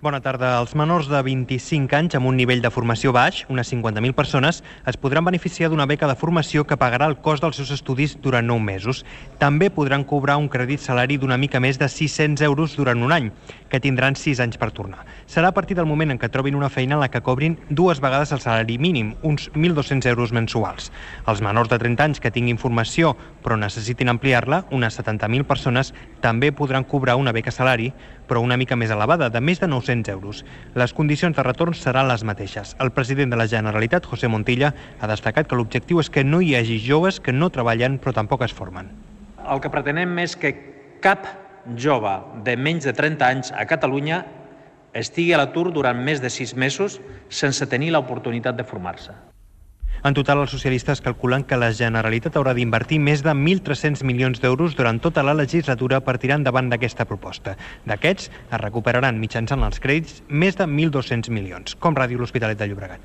Bona tarda. Els menors de 25 anys amb un nivell de formació baix, unes 50.000 persones, es podran beneficiar d'una beca de formació que pagarà el cost dels seus estudis durant 9 mesos. També podran cobrar un crèdit salari d'una mica més de 600 euros durant un any, que tindran 6 anys per tornar. Serà a partir del moment en què trobin una feina en la que cobrin 2 vegades el salari mínim, uns 1.200 euros mensuals. Els menors de 30 anys que tinguin formació però necessitin ampliar-la, unes 70.000 persones, també podran cobrar una beca salari, però una mica més elevada, de més de 900 euros. Les condicions de retorn seran les mateixes. El president de la Generalitat, José Montilla, ha destacat que l'objectiu és que no hi hagi joves que no treballen però tampoc es formen. El que pretenem és que cap jove de menys de 30 anys a Catalunya estigui a l'atur durant més de 6 mesos sense tenir l'oportunitat de formar-se. En total, els socialistes calculen que la Generalitat haurà d'invertir més de 1.300 milions d'euros durant tota la legislatura per tirar endavant d'aquesta proposta. D'aquests, es recuperaran mitjançant els crèdits més de 1.200 milions, com Ràdio L'Hospitalet de Llobregat.